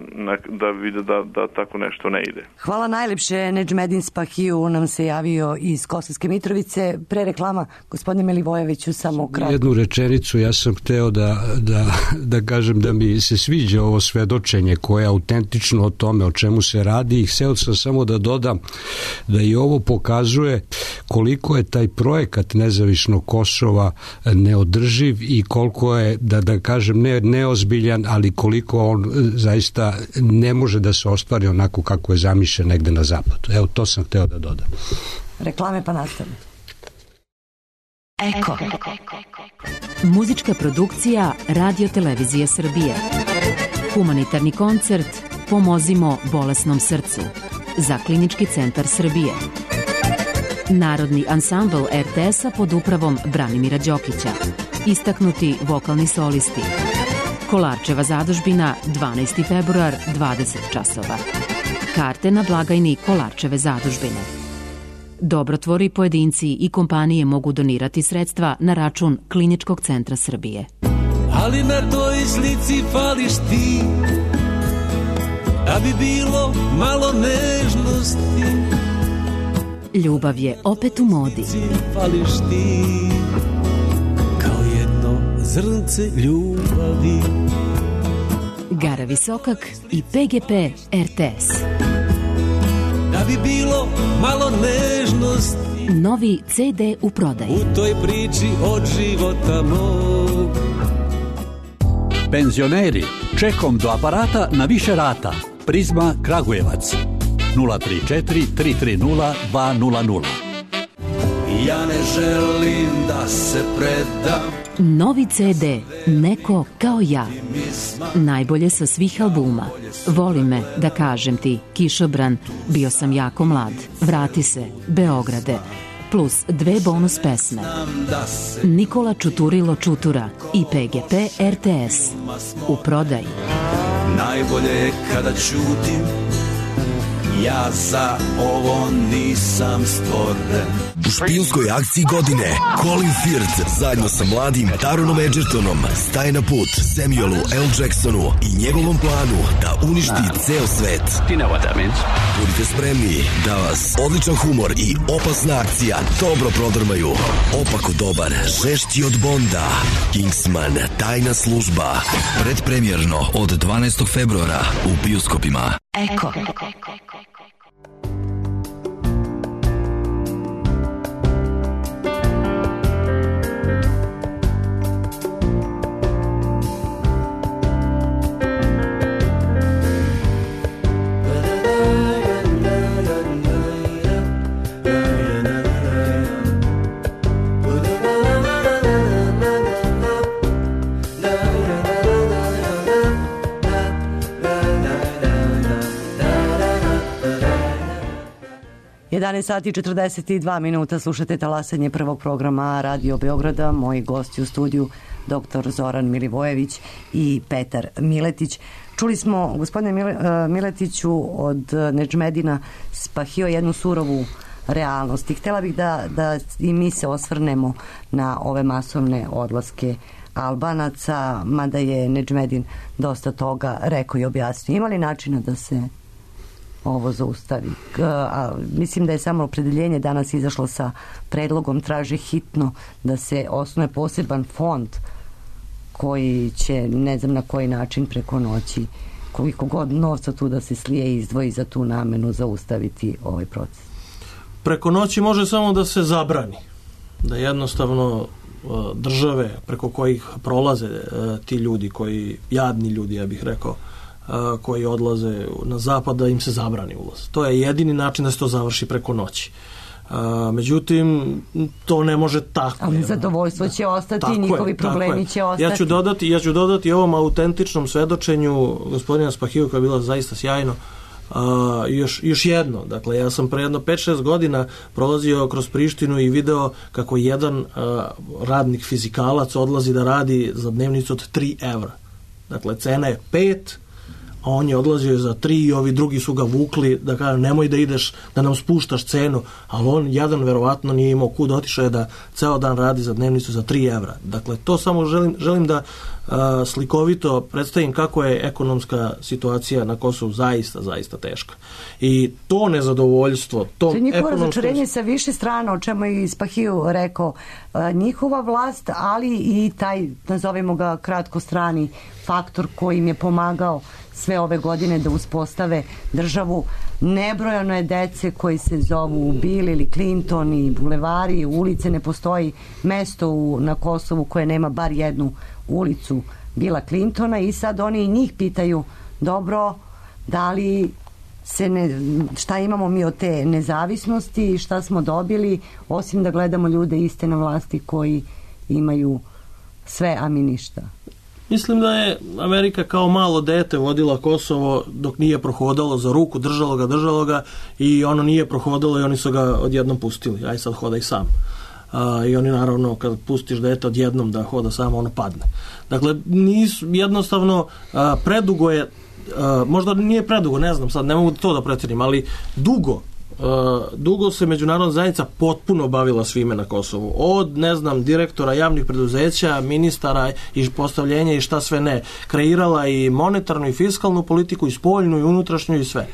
da vide da, da tako nešto ne ide. Hvala najlepše. Nedžmedin Spahiju nam se javio iz Kosovske Mitrovice. Pre reklama, gospodine Milivojeviću, samo kratko. Jednu rečenicu, ja sam hteo da, da, da kažem da mi se sviđa ovo svedočenje koje je autentično o tome o čemu se radi i hteo sam samo da dodam da i ovo pokazuje koliko je taj projekat nezavisnog Kosova neodrživ i koliko je, da, da kažem, ne, neozbiljan, ali koliko on zaista ne može da se ostvari onako kako je zamišljen negde na zapadu. Evo, to sam hteo da dodam. Reklame pa nastavljamo. Eko. Muzička produkcija Radio Televizije Srbije. Humanitarni koncert Pomozimo bolesnom srcu za Klinički centar Srbije. Narodni ansambl er te es-a pod upravom Branimira Đokića. Istaknuti vokalni solisti. Kolarčeva zadužbina, dvanaesti februar, dvadeset časova. Karte na blagajni Kolarčeve zadužbine. Dobrotvori, pojedinci i kompanije mogu donirati sredstva na račun Kliničkog centra Srbije. Ali na toj slici fališ ti, da bi bilo malo nežnosti. Ljubav je opet u modi. Fališ ti, kao jedno zrnce ljubavi. Gara Visokak i pe ge pe er te es. Da bi bilo malo nežnosti. Novi ce de u prodaji. U toj priči od života mog. Penzioneri, čekom do aparata na više rata. Prizma Kragujevac. nula tri četiri tri tri nula dva nula nula. Ja ne želim da se predam. Novi ce de Neko kao ja. Najbolje sa svih albuma. Voli me, da kažem ti, Kišobran, Bio sam jako mlad, Vrati se, Beograde, plus dve bonus pesme. Nikola Čuturilo Čutura i pe ge pe er te es. U prodaji. Najbolje je kada ćutim, ja za ovo nisam stvoren. U špijunskoj akciji godine Colin Firth zajedno sa mladim Taronom Edgertonom staje na put Samuelu L. Jacksonu i njegovom planu da uništi ceo svet. You know what that means. Budite spremni da vas odličan humor i opasna akcija dobro prodrmaju. Opako dobar, žešći od Bonda. Kingsman, tajna služba. Predpremjerno od dvanaestog februara u bioskopima. Eko. jedanaest sati i četrdeset dva minuta, slušate talasanje prvog programa Radio Beograda. Moji gosti u studiju doktor Zoran Milivojević i Petar Miletić. Čuli smo, gospodine Miletiću, od Nedžmedina Spahio jednu surovu realnost i htjela bih da, da i mi se osvrnemo na ove masovne odlaske Albanaca, mada je Nedžmedin dosta toga rekao i objasnio. Ima li načina da se ovo zaustavi? A, mislim da je samo opredeljenje danas izašlo sa predlogom, traži hitno da se osnuje poseban fond koji će, ne znam na koji način, preko noći, koliko god novca tu da se slije i izdvoji za tu namenu, zaustaviti ovaj proces. Preko noći može samo da se zabrani, da jednostavno države preko kojih prolaze ti ljudi, koji, jadni ljudi, ja bih rekao, koji odlaze na zapad, da im se zabrani ulaz. To je jedini način da se to završi preko noći. Međutim, to ne može tako. Ali zadovoljstvo će ostati, tako njihovi je, problemi će ostati. Ja ću dodati, ja ću dodati ovom autentičnom svedočenju gospodina Spahiju, koja je bila zaista sjajno, Uh, još, još jedno, dakle ja sam pre jedno pet šest godina prolazio kroz Prištinu i video kako jedan uh, radnik fizikalac odlazi da radi za dnevnicu od tri evra. Dakle cena je pet, a on je odlazio za tri i ovi drugi su ga vukli da kažu nemoj da ideš, da nam spuštaš cenu, ali on jedan verovatno nije imao kud, otišao je da ceo dan radi za dnevnicu za tri evra. Dakle to samo želim, želim da uh, slikovito predstavim kako je ekonomska situacija na Kosovu zaista, zaista teška. I to nezadovoljstvo, to, to je njihovo ekonomsko... razočarenje sa više strana, o čemu je Spahiju rekao, uh, njihova vlast, ali i taj, nazovimo ga kratko, strani faktor koji im je pomagao sve ove godine da uspostave državu. Nebrojano je dece koji se zovu Bill ili Clinton i bulevari, ulice, ne postoji mesto u, na Kosovu koje nema bar jednu ulicu Billa Clintona i sad oni i njih pitaju, dobro, da li se ne, šta imamo mi od te nezavisnosti i šta smo dobili, osim da gledamo ljude iste na vlasti koji imaju sve, a mi ništa. Mislim da je Amerika kao malo dete vodila Kosovo dok nije prohodalo za ruku, držalo ga, držalo ga i ono nije prohodalo i oni su ga odjednom pustili. Aj sad hodaj sam. A, I oni naravno kad pustiš dete odjednom da hoda samo, ono padne. Dakle, nisu, jednostavno a, predugo je, a, možda nije predugo, ne znam sad, ne mogu to da precijenim, ali dugo Uh, dugo se međunarodna zajednica potpuno bavila svime na Kosovu. Od, ne znam, direktora javnih preduzeća, ministara i postavljenja i šta sve ne. Kreirala i monetarnu i fiskalnu politiku, i spoljnu i unutrašnju i sve.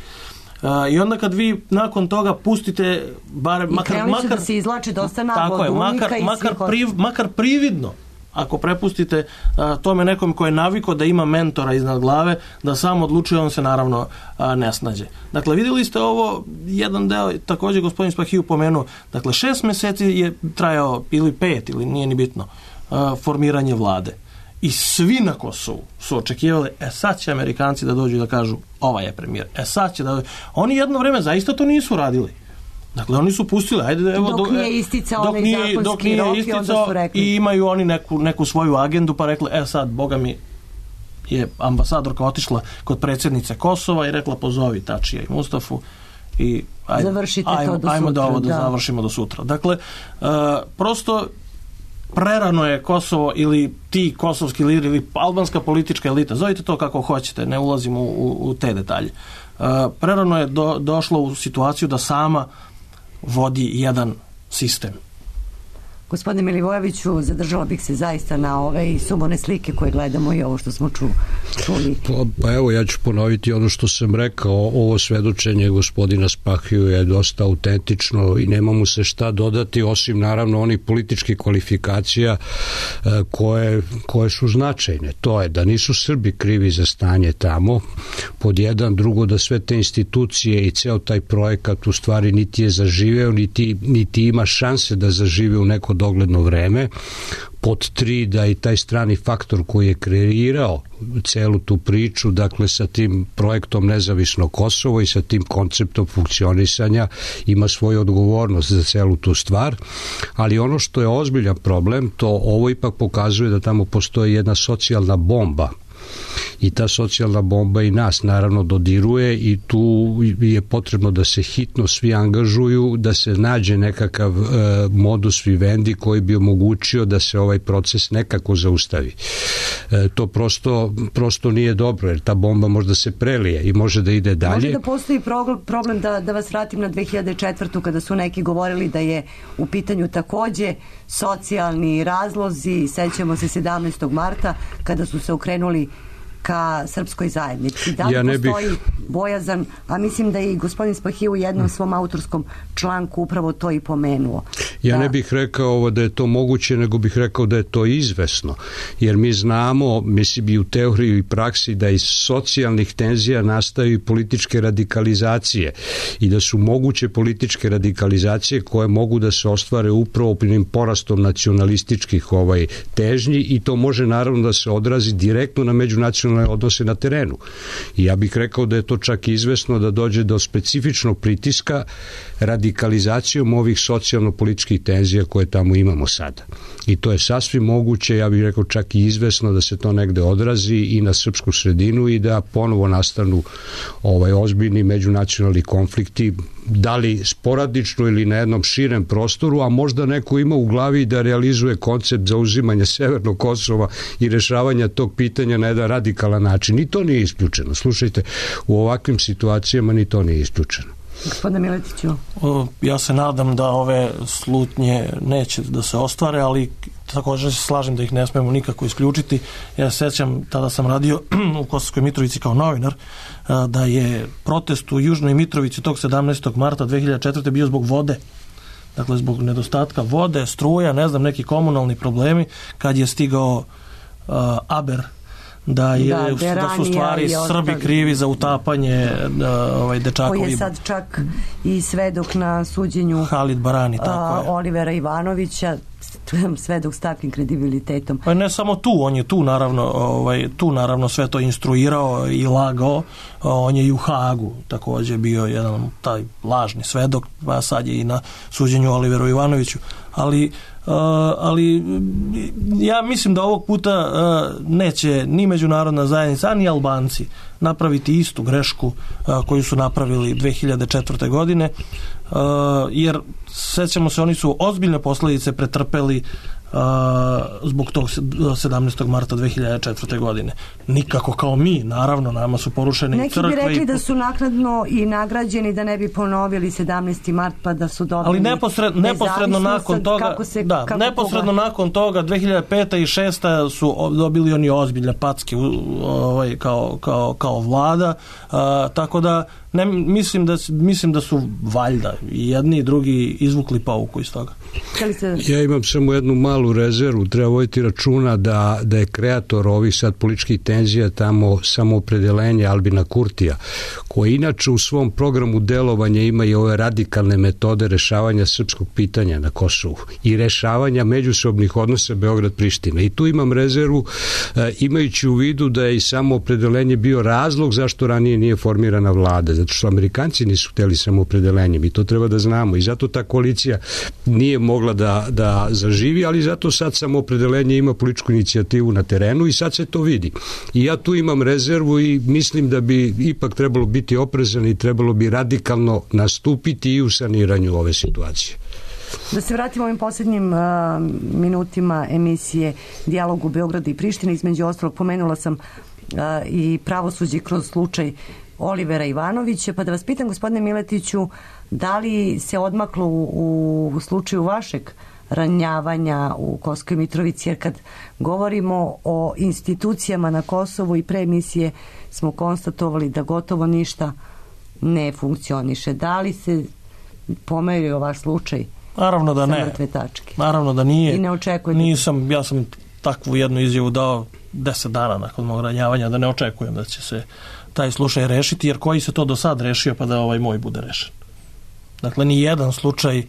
Uh, I onda kad vi nakon toga pustite bar, I makar, makar, da se izlači dosta naglo od makar, i makar, svih... priv, makar prividno, ako prepustite a, tome nekom ko je naviko da ima mentora iznad glave, da sam odlučuje, on se naravno a, ne snađe. Dakle, vidjeli ste ovo, jedan deo, također gospodin Spahiju pomenuo, dakle, šest meseci je trajao, ili pet, ili nije ni bitno, a, formiranje vlade. I svi na Kosovu su očekivali, e sad će Amerikanci da dođu i da kažu, ovaj je premijer, e sad će da... Oni jedno vreme zaista to nisu radili. Dakle, oni su pustili, ajde, evo, dok nije isticao dok onaj nije, zakonski dok nije rok i onda isticao su rekli. I imaju oni neku, neku svoju agendu, pa rekli, e sad, boga mi, je ambasadorka otišla kod predsjednice Kosova i rekla, pozovi Tačija i Mustafu i ajde, završite ajmo, to do ajmo sutra, da ovo da, da završimo do sutra. Dakle, uh, prosto prerano je Kosovo ili ti kosovski lideri ili albanska politička elita, zovite to kako hoćete, ne ulazimo u, u, u te detalje. Uh, prerano je do, došlo u situaciju da sama vodi jedan sistem. Gospodine Milivojeviću, zadržala bih se zaista na ove i subone slike koje gledamo i ovo što smo ču, čuli. Pa, pa evo, ja ću ponoviti ono što sam rekao, ovo svedočenje gospodina Spahiju je dosta autentično i nema mu se šta dodati, osim naravno onih političkih kvalifikacija koje, koje su značajne. To je da nisu Srbi krivi za stanje tamo, pod jedan, drugo da sve te institucije i ceo taj projekat u stvari niti je zaživeo, niti, niti ima šanse da zažive u neko dogledno vreme, pod tri da i taj strani faktor koji je kreirao celu tu priču, dakle sa tim projektom Nezavisno Kosovo i sa tim konceptom funkcionisanja ima svoju odgovornost za celu tu stvar, ali ono što je ozbiljan problem, to ovo ipak pokazuje da tamo postoji jedna socijalna bomba i ta socijalna bomba i nas naravno dodiruje i tu je potrebno da se hitno svi angažuju, da se nađe nekakav e, modus vivendi koji bi omogućio da se ovaj proces nekako zaustavi. E, to prosto, prosto nije dobro, jer ta bomba možda se prelije i može da ide dalje. Može da postoji problem da, da vas vratim na dve hiljade četvrtu kada su neki govorili da je u pitanju takođe socijalni razlozi, sećamo se sedamnaestog marta kada su se okrenuli ka srpskoj zajednici. Da li ja postoji bih... bojazan, a mislim da je i gospodin Spahiju u jednom svom autorskom članku upravo to i pomenuo. Ja da... ne bih rekao ovo da je to moguće, nego bih rekao da je to izvesno. Jer mi znamo, mislim i u teoriji i praksi, da iz socijalnih tenzija nastaju i političke radikalizacije i da su moguće političke radikalizacije koje mogu da se ostvare upravo opinim porastom nacionalističkih ovaj, težnji i to može naravno da se odrazi direktno na međunacionalne odnose na terenu. I ja bih rekao da je to čak izvesno da dođe do specifičnog pritiska radikalizacijom ovih socijalno-političkih tenzija koje tamo imamo sada. I to je sasvim moguće, ja bih rekao čak i izvesno da se to negde odrazi i na srpsku sredinu i da ponovo nastanu ovaj ozbiljni međunacionalni konflikti, da li sporadično ili na jednom širem prostoru, a možda neko ima u glavi da realizuje koncept zauzimanja Severnog Kosova i rešavanja tog pitanja na jedan radikalan način. Ni to nije isključeno. Slušajte, u ovakvim situacijama ni to nije isključeno. Gospodine Miletiću. O, ja se nadam da ove slutnje neće da se ostvare, ali također se slažem da ih ne smemo nikako isključiti. Ja se sećam, tada sam radio u Kosovskoj Mitrovici kao novinar, da je protest u Južnoj Mitrovici tog sedamnaestog marta dve hiljade četvrte bio zbog vode. Dakle, zbog nedostatka vode, struja, ne znam, neki komunalni problemi, kad je stigao uh, Aber da, je, Da, da, da su stvari Srbi krivi za utapanje da, ovaj, dečakovi. Koji je sad čak i svedok na suđenju Halid Barani, tako a, je. Olivera Ivanovića, svedok s takvim kredibilitetom. Pa ne samo tu, on je tu naravno, ovaj, tu naravno sve to instruirao i lagao, on je i u Hagu također bio jedan taj lažni svedok, a sad je i na suđenju Oliveru Ivanoviću, ali Uh, ali ja mislim da ovog puta uh, neće ni međunarodna zajednica, ni Albanci napraviti istu grešku uh, koju su napravili dve hiljade četvrte. godine, uh, jer sećamo se, oni su ozbiljne posljedice pretrpeli Uh, zbog tog sedamnaestog marta dve hiljade četvrte. godine. Nikako kao mi, naravno, nama su porušene neki crkve. Neki bi rekli i... da su naknadno i nagrađeni da ne bi ponovili sedamnaesti mart pa da su dobili. Ali neposred, neposredno nakon toga, kako se, da, kako neposredno koga? nakon toga dve hiljade pete. i šeste. su dobili oni ozbiljne packe ovaj, kao, kao, kao vlada, uh, tako da ne, mislim da mislim da su valjda i jedni i drugi izvukli pouku iz toga. Ja imam samo jednu malu rezervu, treba voditi računa da, da je kreator ovih sad političkih tenzija tamo samoopredelenje Albina Kurtija, koji inače u svom programu delovanja ima i ove radikalne metode rešavanja srpskog pitanja na Kosovu i rešavanja međusobnih odnosa Beograd-Priština. I tu imam rezervu, e, imajući u vidu da je i samoopredelenje bio razlog zašto ranije nije formirana vlada, zato što Amerikanci nisu hteli samoopredelenje, mi to treba da znamo i zato ta koalicija nije mogla da, da zaživi, ali zato sad samoopredelenje ima političku inicijativu na terenu i sad se to vidi. I ja tu imam rezervu i mislim da bi ipak trebalo biti oprezan i trebalo bi radikalno nastupiti i u saniranju ove situacije. Da se vratimo ovim posljednjim uh, minutima emisije Dijalog u Beogradu i Prištini, između ostalog pomenula sam uh, i pravosuđe kroz slučaj Olivera Ivanovića, pa da vas pitam, gospodine Miletiću, da li se odmaklo u, u slučaju vašeg ranjavanja u Kosovskoj Mitrovici, jer kad govorimo o institucijama na Kosovu i pre emisije smo konstatovali da gotovo ništa ne funkcioniše. Da li se pomerio vaš slučaj? Naravno da ne. Naravno da nije. I ne očekujete? Nisam, ja sam takvu jednu izjavu dao deset dana nakon mog ranjavanja, da ne očekujem da će se taj slučaj rešiti, jer koji se to do sad rešio pa da ovaj moj bude rešen. Dakle, ni jedan slučaj uh,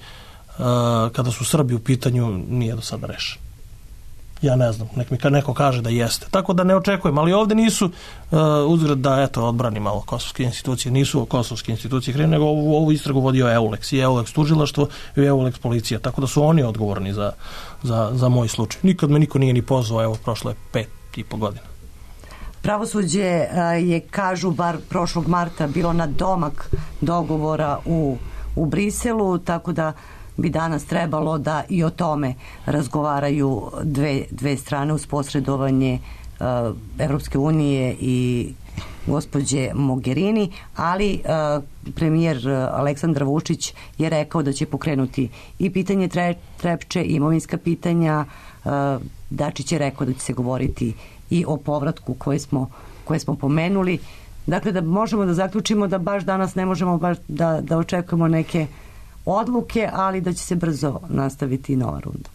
kada su Srbi u pitanju nije do sada rešen. Ja ne znam, nek mi neko kaže da jeste. Tako da ne očekujem, ali ovde nisu uh, uzgled da, eto, odbrani malo kosovske institucije, nisu kosovske institucije krive, nego ovu, ovu istragu vodio EULEX i EULEX tužilaštvo i EULEX policija, tako da su oni odgovorni za, za, za moj slučaj. Nikad me niko nije ni pozvao, evo, prošlo je pet i po godina. Pravosuđe je, kažu, bar prošlog marta bilo na domak dogovora u, u Briselu, tako da bi danas trebalo da i o tome razgovaraju dve, dve strane uz posredovanje uh, Evropske unije i gospođe Mogherini, ali uh, premijer Aleksandar Vučić je rekao da će pokrenuti i pitanje tre, Trepče, imovinska pitanja. uh, Dačić je rekao da će se govoriti i o povratku koje smo, koje smo pomenuli. Dakle, da možemo da zaključimo da baš danas ne možemo baš da, da očekujemo neke odluke, ali da će se brzo nastaviti nova runda.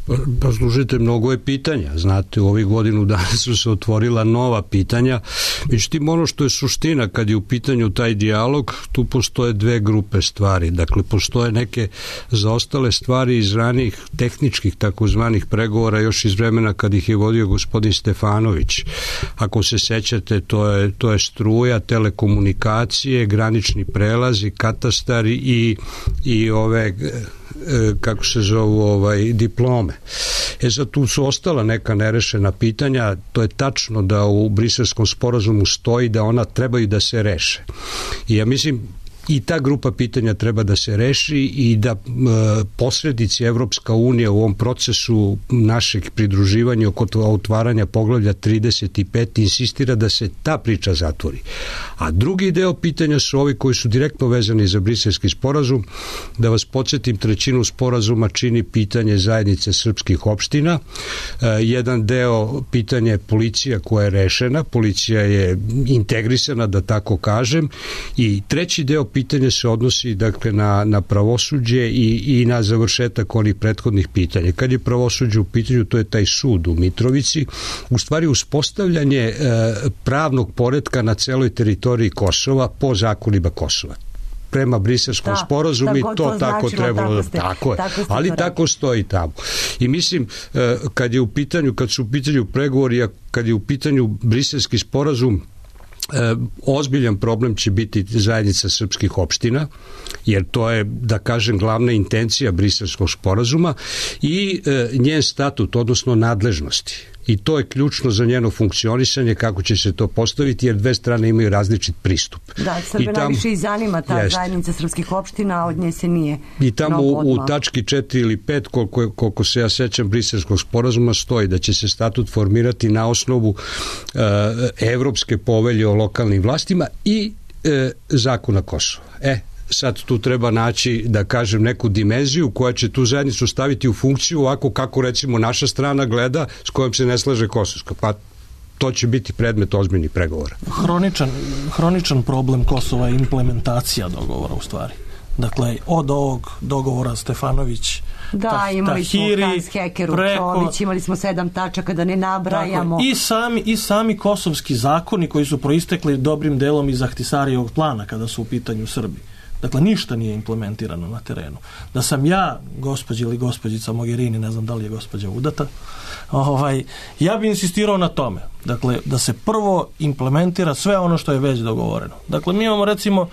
Pa, pa slušajte, mnogo je pitanja. Znate, u ovih godinu dana su se otvorila nova pitanja. Međutim, ono što je suština kad je u pitanju taj dijalog, tu postoje dve grupe stvari. Dakle, postoje neke zaostale stvari iz ranih tehničkih takozvanih pregovora još iz vremena kad ih je vodio gospodin Stefanović. Ako se sećate, to je, to je struja, telekomunikacije, granični prelazi, katastari i, i ove, kako se zovu, ovaj, diplome. E sad, tu su ostala neka nerešena pitanja. To je tačno da u Briselskom sporazumu stoji da ona trebaju da se reše. I ja mislim, i ta grupa pitanja treba da se reši i da e, posrednici Evropska unija u ovom procesu našeg pridruživanja oko otvaranja poglavlja trideset pet insistira da se ta priča zatvori. A drugi deo pitanja su ovi koji su direktno vezani za Briselski sporazum. Da vas podsjetim, trećinu sporazuma čini pitanje zajednice srpskih opština. E, jedan deo pitanja je policija koja je rešena, policija je integrisana, da tako kažem, i treći deo pitanja pitanje se odnosi dakle na, na pravosuđe i, i na završetak onih prethodnih pitanja. Kad je pravosuđe u pitanju, to je taj sud u Mitrovici, u stvari uspostavljanje e, pravnog poretka na celoj teritoriji Kosova po zakonima Kosova. Prema Briselskom da, sporazumu i to, to tako značilo, trebalo da tako, ste, tako je, tako ali to tako stoji tamo. I mislim kad je u pitanju, kad su u pitanju pregovori, kad je u pitanju Briselski sporazum, E, ozbiljan problem će biti zajednica srpskih opština, jer to je, da kažem, glavna intencija Briselskog sporazuma i e, njen statut, odnosno nadležnosti. I to je ključno za njeno funkcionisanje, kako će se to postaviti, jer dve strane imaju različit pristup. Da, Srbe tam, najviše i zanima ta jest. zajednica srpskih opština, a od nje se nije I tamo u, u tački četiri ili pet, koliko, koliko se ja sećam Briselskog sporazuma, stoji da će se statut formirati na osnovu e, Evropske povelje o lokalnim vlastima i e, zakona Kosova. E, sad tu treba naći, da kažem, neku dimenziju koja će tu zajednicu staviti u funkciju ovako kako recimo naša strana gleda, s kojom se ne slaže Kosovska. Pa to će biti predmet ozbiljnih pregovora. Hroničan, hroničan problem Kosova je implementacija dogovora u stvari. Dakle, od ovog dogovora Stefanović Da, ta, imali smo Tahiri, Hans Hekeru, preko, Čomić, imali smo sedam tačaka, da ne nabrajamo. Tako, i, sami, I sami kosovski zakoni koji su proistekli dobrim delom iz Ahtisarijevog plana kada su u pitanju Srbi. Dakle, ništa nije implementirano na terenu. Da sam ja, gospođa ili gospođica Mogherini, ne znam da li je gospođa udata, ovaj, ja bi insistirao na tome. Dakle, da se prvo implementira sve ono što je već dogovoreno. Dakle, mi imamo recimo,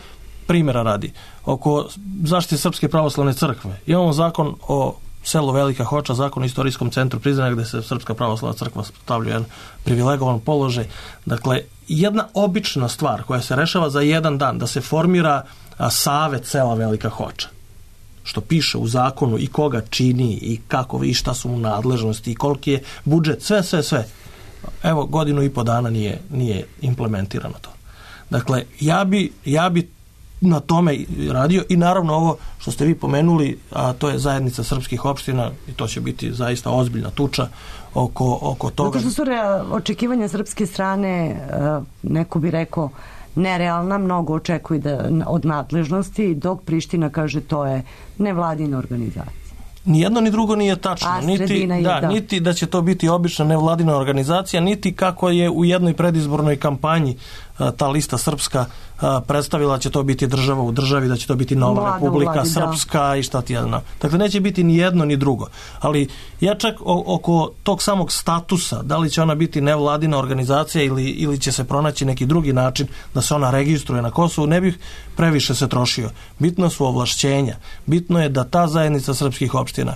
primjera radi, oko zaštite Srpske pravoslavne crkve. Imamo zakon o selu Velika Hoča, zakon o istorijskom centru Prizrena, gde se Srpska pravoslavna crkva stavlja jedan privilegovan položaj. Dakle, jedna obična stvar koja se rešava za jedan dan, da se formira a, savet sela Velika Hoča, što piše u zakonu i koga čini i kako i šta su mu nadležnosti i koliki je budžet, sve, sve, sve. Evo, godinu i po dana nije, nije implementirano to. Dakle, ja bi, ja bi na tome radio i naravno ovo što ste vi pomenuli, a to je zajednica srpskih opština i to će biti zaista ozbiljna tuča oko, oko toga. Zato što su očekivanja srpske strane, neko bi rekao, nerealna, mnogo očekuju da, od nadležnosti, dok Priština kaže to je nevladina organizacija. Ni jedno ni drugo nije tačno. A, niti, je, da, da. niti da će to biti obična nevladina organizacija, niti kako je u jednoj predizbornoj kampanji a, ta lista srpska a, predstavila će to biti država u državi, da će to biti nova Vlada, republika vladi, srpska da. I šta ti jedna. Dakle, neće biti ni jedno ni drugo. Ali ja čak o, oko tog samog statusa, da li će ona biti nevladina organizacija ili, ili će se pronaći neki drugi način da se ona registruje na Kosovu, ne bih previše se trošio. Bitno su ovlašćenja. Bitno je da ta zajednica srpskih opština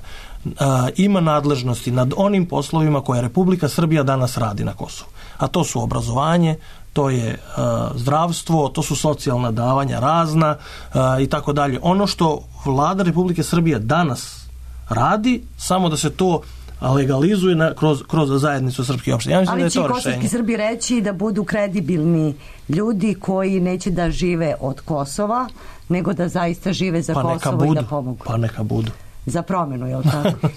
a, ima nadležnosti nad onim poslovima koje Republika Srbija danas radi na Kosovu. A to su obrazovanje, to je uh, zdravstvo, to su socijalna davanja razna uh, i tako dalje. Ono što vlada Republike Srbije danas radi, samo da se to legalizuje na, kroz, kroz zajednicu srpskih opština. Ja mislim ali da je će to kosovski rešenje. Srbi reći da budu kredibilni ljudi koji neće da žive od Kosova, nego da zaista žive za pa Kosovo budu, i da pomogu. Pa neka budu. Za promenu, je li tako?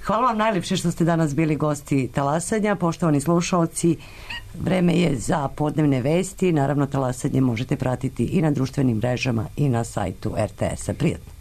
Hvala vam najljepše što ste danas bili gosti Talasanja. Poštovani slušaoci, vreme je za podnevne vesti. Naravno, Talasanje možete pratiti i na društvenim mrežama i na sajtu er te esa. Prijatno.